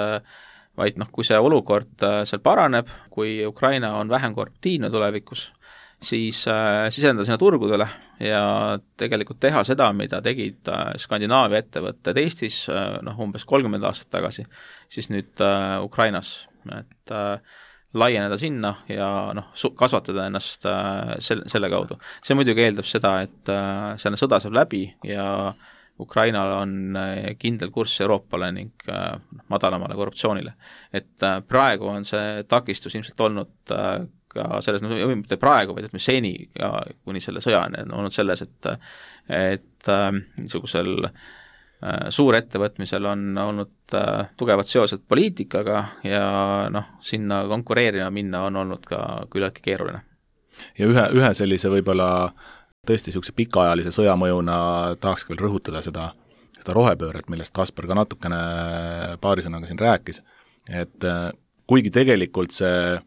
kui see olukord seal paraneb, kui Ukraina on vähem korruptiivne tulevikus, siis sisendada sinna turgudele ja tegelikult teha seda, mida tegid Skandinaavia ettevõtted Eestis umbes 30 aastat tagasi, siis nüüd Ukrainas, et laieneda sinna ja kasvatada ennast selle kaudu. See muidugi eeldab seda, et selle sõda saab läbi ja Ukrainal on kindel kurss Euroopale ning madalamale korruptsioonile. Et praegu on see takistus ilmselt olnud ka selles, mitte praegu, vaid ütleme seni kuni selle sõjani on olnud selles, et niisugusel suurettevõtmisel on olnud tugevad seosed poliitikaga ja sinna konkureerima minna on olnud ka küllaltki keeruline. Ja ühe sellise võib-olla tõesti niisuguse pikaajalise sõjamõjuna tahaks veel rõhutada seda rohepööret, millest Kaspar ka natukene paari sõnaga siin rääkis, et kuigi tegelikult see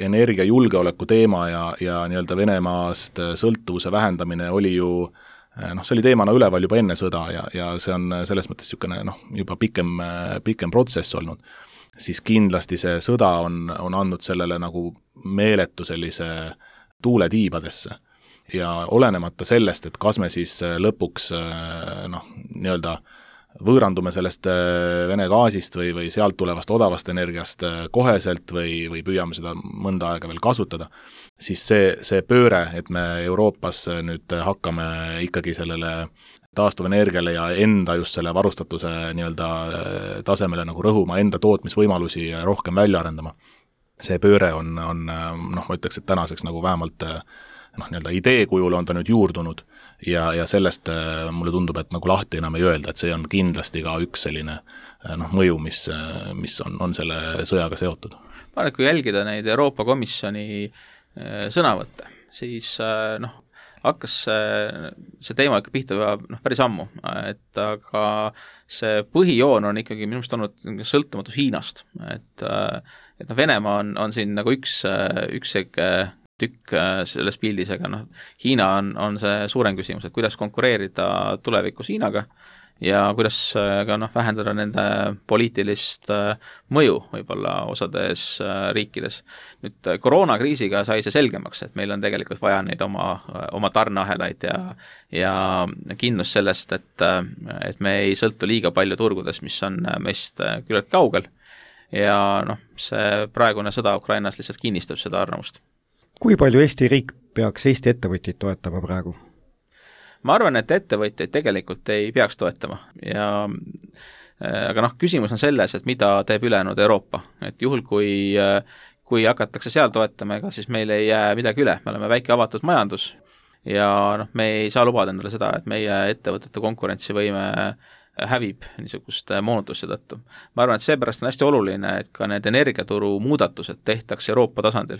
energiajulgeoleku teema ja nii-öelda Venemaast sõltuvuse vähendamine oli ju see oli teemana üleval juba enne sõda ja see on selles mõttes niisugune juba pikem protsess olnud, siis kindlasti see sõda on andnud sellele nagu meeletu sellise tuule tiibadesse. ja olenemata sellest, et kas me siis lõpuks nii-öelda võõrandume sellest Vene gaasist või sealt tulevast odavast energiast koheselt või püüame seda mõnda aega veel kasutada, siis see pööre, et me Euroopas nüüd hakkame ikkagi sellele taastuvenergiale ja enda just selle varustatuse nii-öelda tasemele nagu rõhuma, enda tootmisvõimalusi rohkem välja arendama. See pööre on ma ütleks, et tänaseks nagu vähemalt nii-öelda idee kujul on ta nüüd juurdunud ja sellest mulle tundub, et nagu lahti enam ei öelda, et see on kindlasti ka üks selline mõju, mis on selle sõjaga seotud. Ma arvan, et kui jälgida neid Euroopa Komisjoni sõnavõtte, siis hakkas see teema ikka pihta päris ammu, et aga see põhijoon on ikkagi minu meelest olnud sõltumatus Hiinast, et Venemaa on siin nagu üks tükk selles pildis, aga Hiina on see suurem küsimus, et kuidas konkureerida tulevikus Hiinaga ja kuidas ka vähendada nende poliitilist mõju võib-olla osades riikides. Nüüd koroonakriisiga sai see selgemaks, et meil on tegelikult vaja neid oma tarneahelaid ja kindlus sellest, et me ei sõltu liiga palju turgudes, mis on meist küllalt kaugel ja see praegune sõda Ukrainas lihtsalt kinnistab seda arvamust. Kui palju Eesti riik peaks Eesti ettevõtjaid toetama praegu? Ma arvan, et ettevõtjaid tegelikult ei peaks toetama aga küsimus on selles, et mida teeb ülejäänud Euroopa, et juhul kui hakatakse seal toetama, ega siis meil ei jää midagi üle, me oleme väike avatud majandus ja me ei saa lubada endale seda, et meie ettevõtete konkurentsivõime hävib niisuguste moonutuste tõttu. Ma arvan, et seepärast on hästi oluline, et ka need energiaturu muudatused tehtaks Euroopa tasandil,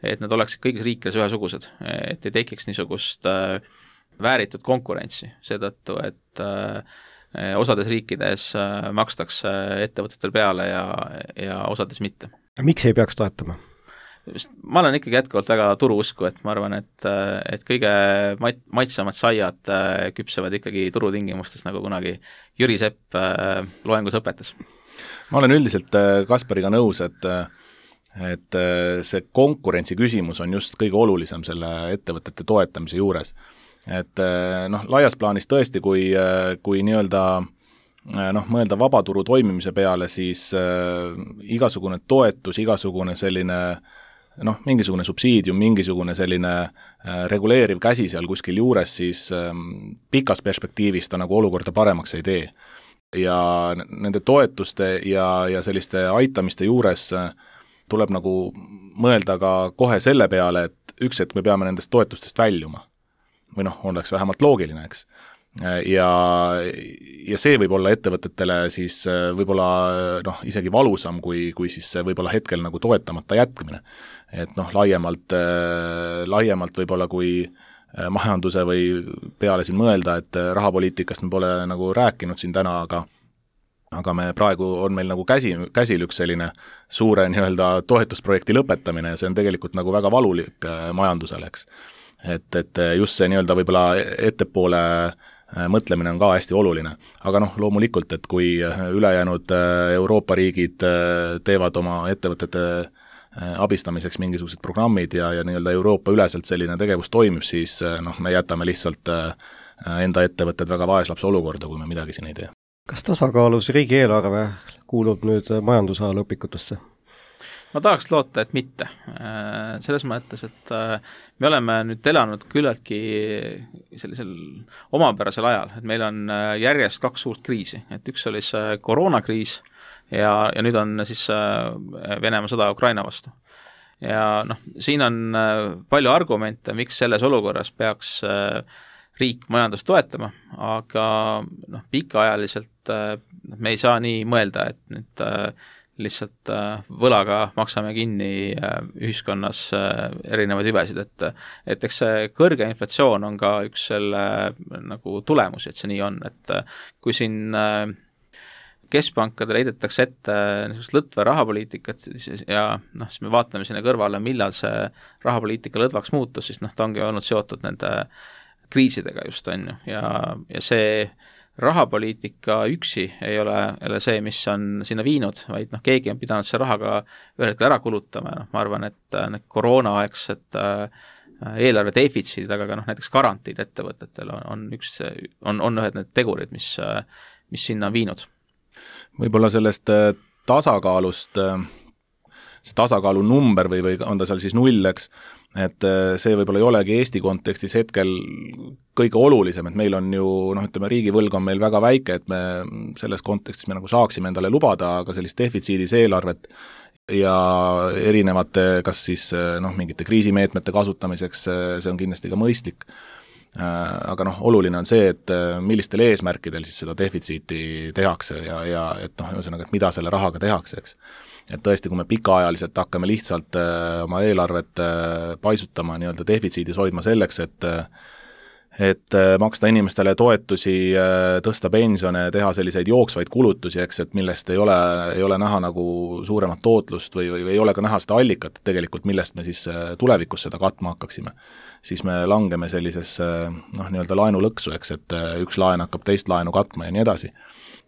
et nad oleksid kõigis riikides ühesugused, et ei tekiks niisugust vääritud konkurentsi, seetõttu, et osades riikides makstakse ettevõtetel peale ja osades mitte. Miks ei peaks toetama? Ma olen ikkagi jätkuvalt väga turuusku, et ma arvan, et kõige maitsamad saiad küpsevad ikkagi turutingimustes, nagu kunagi Jüri Sepp loengus õpetas. Ma olen üldiselt Kaspariga nõus, et see konkurentsi küsimus on just kõige olulisem selle ettevõtete toetamise juures. Et laias plaanis tõesti, kui nii-öelda mõelda vabaturu toimimise peale, siis igasugune toetus, igasugune selline mingisugune subsiidium, mingisugune selline reguleeriv käsi seal kuskil juures, siis pikas perspektiivis ta nagu olukorda paremaks ei tee. Ja nende toetuste ja selliste aitamiste juures tuleb nagu mõelda ka kohe selle peale, et üks hetk me peame nendest toetustest väljuma. Või oleks vähemalt loogiline, eks. Ja see võib olla ettevõtetele siis võib-olla isegi valusam, kui siis võib-olla hetkel nagu toetamata jätkamine. Et laiemalt võib-olla kui majanduse või peale siin mõelda, et rahapoliitikast me pole nagu rääkinud siin täna, aga me praegu on meil nagu käsil üks selline suure nii-öelda toetusprojekti lõpetamine ja see on tegelikult nagu väga valulik majandusele, eks. Et just see nii-öelda võib-olla ettepoole mõtlemine on ka hästi oluline. Aga loomulikult, et kui ülejäänud Euroopa riigid teevad oma ettevõtete abistamiseks mingisugused programmid ja nii-öelda Euroopa üleselt selline tegevus toimib, siis me jätame lihtsalt enda ettevõtted väga vaeslapse olukorda, kui me midagi siin ei tee. Kas tasakaalus riigieelarve kuulub nüüd majandusajaloo õpikutesse? Ma tahaks loota, et mitte. Selles mõttes, et me oleme nüüd elanud küllaltki sellisel omapärasel ajal, et meil on järjest 2 suurt kriisi, et üks oli see koroonakriis ja nüüd on siis Venemaa sõda Ukraina vastu. Ja siin on palju argumente, miks selles olukorras peaks riik majandust toetama, aga pikaajaliselt me ei saa nii mõelda, et nüüd lihtsalt võlaga maksame kinni ühiskonnas erinevaid hüvesid, et eks see kõrge inflatsioon on ka üks selle nagu tulemus, et see nii on, et kui siin keskpankadele heidetakse ette niisugust lõtva rahapoliitikat ja siis me vaatame sinna kõrvale, millal see rahapoliitika lõdvaks muutus, siis ta ongi olnud seotud nende kriisidega just, on ju, ja see rahapoliitika üksi ei ole see, mis on sinna viinud, vaid keegi on pidanud see rahaga ühel hetkel ära kulutama, ma arvan, et need koroonaaegsed eelarve defitsiidi taga, aga näiteks garantiid ettevõtetel on ühed need tegurid, mis sinna on viinud. Võib-olla sellest tasakaalust, see tasakaalu number või on ta seal siis 0, eks, et see võib-olla ei olegi Eesti kontekstis hetkel kõige olulisem, et meil on ju, riigivõlg on meil väga väike, et me selles kontekstis me nagu saaksime endale lubada ka sellist defitsiidis eelarvet ja erinevate, kas siis mingite kriisimeetmete kasutamiseks, see on kindlasti ka mõistlik. Aga oluline on see, et millistel eesmärkidel siis seda defitsiiti tehakse ja et ühesõnaga, et mida selle rahaga tehakse, eks. Et tõesti, kui me pikaajaliselt hakkame lihtsalt oma eelarvet paisutama, nii-öelda defitsiidis hoidma selleks, et maksta inimestele toetusi, tõsta pensione, teha selliseid jooksvaid kulutusi, eks, et millest ei ole näha nagu suuremat tootlust või ei ole ka näha seda allikat tegelikult, millest me siis tulevikus seda katma hakkaksime, siis me langeme sellisesse nii-öelda laenulõksu, eks, et üks laen hakkab teist laenu katma ja nii edasi.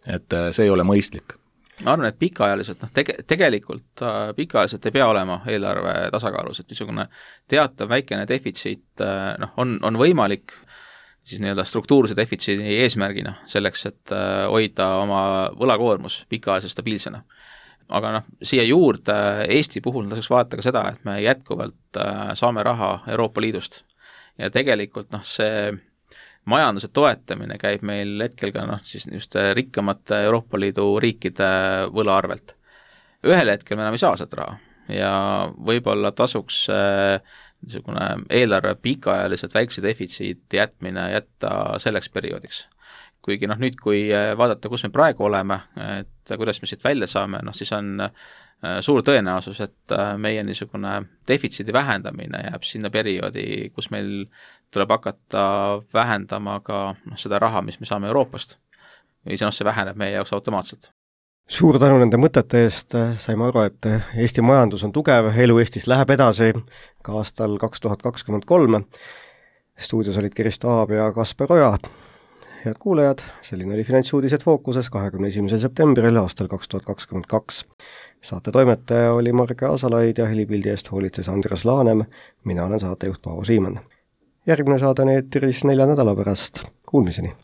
Et see ei ole mõistlik. Ma arvan, et pikaajaliselt, tegelikult pikaajaliselt ei pea olema eelarve tasakaalus, et niisugune teatav väikene defitsiit on võimalik siis nii-öelda struktuurse defitsiidi eesmärgina selleks, et hoida oma võlakoormus pikaajaliselt stabiilsena. Aga siia juurde Eesti puhul tasuks vaadata ka seda, et me jätkuvalt saame raha Euroopa Liidust ja tegelikult see majanduse toetamine käib meil hetkel ka siis just rikkamate Euroopa Liidu riikide võla arvelt. Ühel hetkel me enam ei saa seda raha ja võib-olla tasuks niisugune eelarve pikaajaliselt väikse defitsiiti jätta selleks perioodiks. Kuigi nüüd, kui vaadata, kus me praegu oleme, et kuidas me siit välja saame, siis on suur tõenäosus, et meie niisugune defitsiidi vähendamine jääb sinna perioodi, kus meil tuleb hakata vähendama ka seda raha, mis me saame Euroopast. Või see väheneb meie jaoks automaatselt. Suur tänu nende mõtete eest, saime aru, et Eesti majandus on tugev, elu Eestis läheb edasi ka aastal 2023. Stuudios olid Kristo Aab ja Kaspar Oja. Head kuulajad, selline oli Finantsuudised Fookuses 21. septembril aastal 2022. Saate toimetaja oli Marge Asalaid ja helipildi eest hoolitses Andres Laanem, mina olen saatejuht Paavo Siimann. Järgmine saade on eetris 4 nädala pärast. Kuulmiseni!